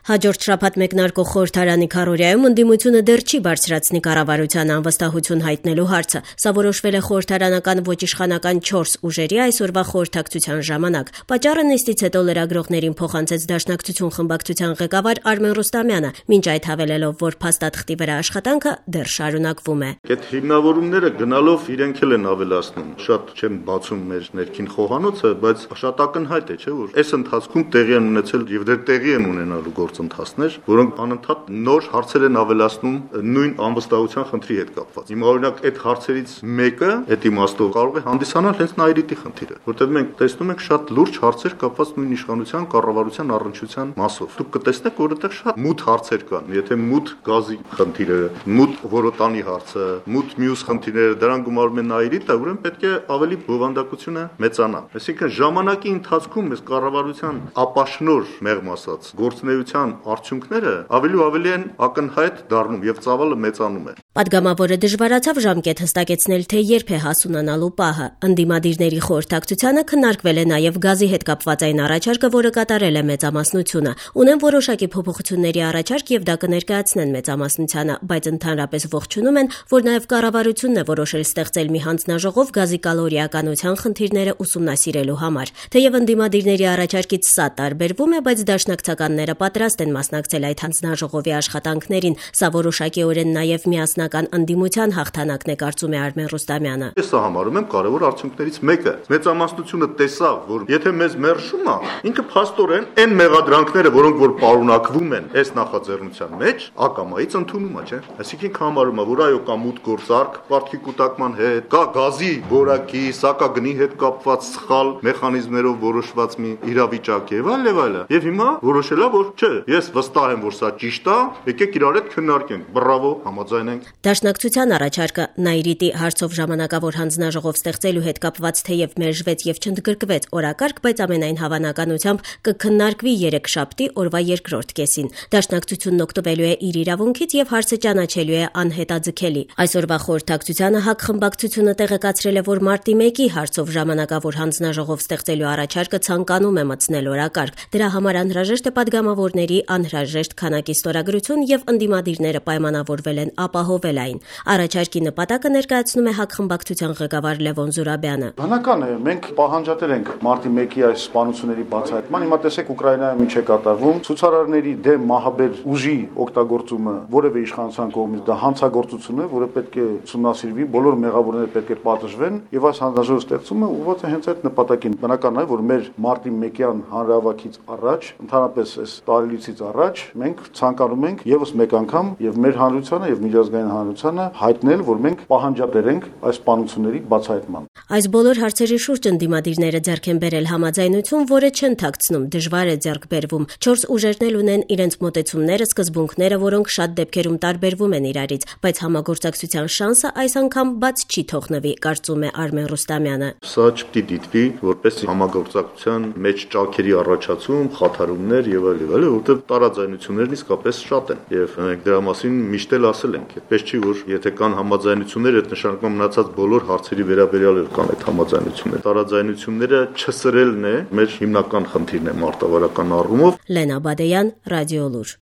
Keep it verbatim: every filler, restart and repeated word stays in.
Հաջորդ շաբաթ մեկնարկող խորհրդարանի քառօրյայում ընդդիմությունը դեռ չի բարձրացնի կառավարությանը անվստահություն հայտնելու հարցը։ Սա որոշվել է խորհրդարանական ոչ իշխանական չորս ուժերի այսօրվա խորհրդակցության ժամանակ։ Պատճառը նիստից հետո լրագրողներին փոխանցեց Դաշնակցություն խմբակցության ղեկավար Արմեն Ռուստամյանը, մինչ այդ հավելելով, որ փաստաթղթի վրա աշխատանքը դեռ շարունակվում է։ Այդ հիմնավորումները գնալով իրենք էլ են ավելացնում։ Շատ չեմ բացում մեր ներքին խոհանոցը, բայց շատ ակնհայտ է, չէ՞ որ այս ընթացքում տեղի են ունեցել եւ դեռ տեղի են ունենալու գործընթացներ, որոնք անընդհատ նոր հարցեր են ավելացնում նույն անվստահության խնդրի հետ կապված։ Հիմա օրինակ այդ հարցերից մեկը, այդ իմաստով կարող է հանդիսանալ հենց Նայիրիտի խնդիրը, որտեղ մենք տեսնում ենք շատ լուրջ հարցեր կապված նույն իշխանության, կառավարության առնչության մասով։ Դուք կտեսնեք, որ այդտեղ շատ մութ հարցեր կան։ Եթե մութ գազի խնդիրը, մութ որոտանի հարցը, մութ մյուս խնդիրները դրան գումարում են Նայիրիտը, ուրեմն պետք է ավելի բովանդակությունը մեծանա։ Այսինքն ժամանակի ընթացքում այս կառավարության ապաշնոր մեղմ ասած գործունեության արդյունքները ավելի ու ավելի են ակնհայտ դառնում եւ ծավալը մեծանում է։ Պատգամավորը դժվարացավ ժամկետ հստակեցնել, թե երբ է հասունանալու պահը։ Ընդդիմադիրների խորհրդակցությանը քննարկվել է նաեւ գազի հետ կապված այն առաջարկը, որը կատարել է մեծամասնությունը։ Ունեն որոշակի փոփոխությունների առաջարկ եւ դա կներկայացնեն մեծամասնությանը, բայց ընդհանրապես ողջունում են, որ նաեւ կառավարությունն է որոշել ստեղծել մի հանձնաժողով գազի կալորիականության խնդիրները ուսումնասիրելու համար։ Թեև ընդդիմադիրների առաջարկից սա տարբերվում է, բայց դաշնակցականները պատրաստ են մասնակցել այդ հանձնաժողովի աշխատանքներին։ Սա որոշակիորեն նաեւ միասնական ընդդիմության հաղթանակն է, կարծում է Արմեն Ռուստամյանը։ Ես սա համարում եմ կարևոր արդյունքներից մեկը։ Մեծամասնությունը տեսավ, որ եթե մեզ մերժում է, ինքը փաստորեն այն մեղադրանքները, որոնք որ պարունակվում են այս նախաձեռնության մեջ, ակամայից ընդունում է, չէ՞։ Այսինքն համարում է, որ այո, կա մութ գործարք, պարտքի կուտակման հետ, կա գազի որակի, սակագնի հետ կապված սխալ մեխանիզմներով որոշված մի իրավիճակ եւ այլ եւ այլ։ Եվ հիմա որոշել է, որ չէ, ես վստահ եմ, որ սա ճիշտ է, եկեք իրար հետ քննարկենք, բրավո, համաձայնենք։ Դաշնակցության առաջարկը Նայիրիտի հարցով ժամանակավոր հանձնաժողով ստեղծելու հետ կապված թեև մերժվեց եւ չընդգրկվեց օրակարգ, բայց ամենայն հավանականությամբ կքննարկվի երեքշաբթի օրվա երկրորդ կեսին։ Դաշնակցությունն օգտվելու է իր իրավունքից եւ հարցը ճանաչելու է անհետաձգելի։ Այսօրվա խորհրդակցությանը ՀԱԿ խմբակցությունը տեղեկացրել է, որ մարտի մեկի հարցով ժամանակավոր հանձնաժողով ստեղծելու առաջարկը ցանկանում է մտցնել օրակարգ։ Դրա համար անհրաժեշտ է պատգամավորների անհրաժեշտ քանակի ստորագրություն եւ ընդդիմադիրները պայմանավորվել են ապահովել այն։ Առաջարկի նպատակը ներկայացնում է ՀԱԿ խմբակցության ղեկավար Լևոն Զուրաբյանը։ Բնական է, մենք պահանջատեր ենք մարտի մեկի այս սպանությունների բացահայտման։ Հիմա տեսեք Ուկրաինայում ինչ է կատարվում։ Ցուցարարների դեմ մահաբեր ուժի օգտագործումը որևէ իշխանության կողմից դա հանցագործություն է, որը պետք է ուսումնասիրվի, բոլոր մեղավորները պետք է պատժվեն եւ այս հանձնաժողովի ստեղծումը ուղղված է հենց այդ նպատակին։ Բնական է, որ մեր մարտի մեկյան հանրահավաքից առաջ, ընդհանրապես այս տարելիցից առաջ մենք ցանկանում ենք եւս մեկ անգամ եւ մեր հանրությանը եւ միջազգային հանրությանը հայտնել, որ մենք պահանջատեր ենք այս սպանությունների բացահայտման։ Այս բոլոր հարցերի շուրջ ընդդիմադիրները ձեռք են բերել համաձայնություն, որը չեն թաքցնում, դժվար է ձեռք բերվում։ Չորս ուժերն էլ ունեն իրենց մոտեցումները, սկզբունքները, որոնք շատ դեպքերում տարբերվում են իրարից, բայց համագործակցության շանսը այս անգամ բաց չի թողնվի, կարծում է Արմեն Ռուստամյանը։ Սա չպիտի դիտվի որպես համագործակցության մեջ ճաքերի առաջացում, խաթարումներ եւ այլ եւ այլ, որտեղ տարաձայնություններն իսկապես շատ են եւ մենք դրա մասին միշտ էլ ասել ենք։ Այդպես չի, որ եթե կան համաձայնություններ, այդ նշանակում մնացած բոլոր հարցերի վերաբերյալ կան այդ համաձայնությունները։ Տարաձայնությունները չսրելն է մեր հիմնական խնդիրն է մարտավարական առումով։ Լենա Բադեյան, Ռադիոլուր։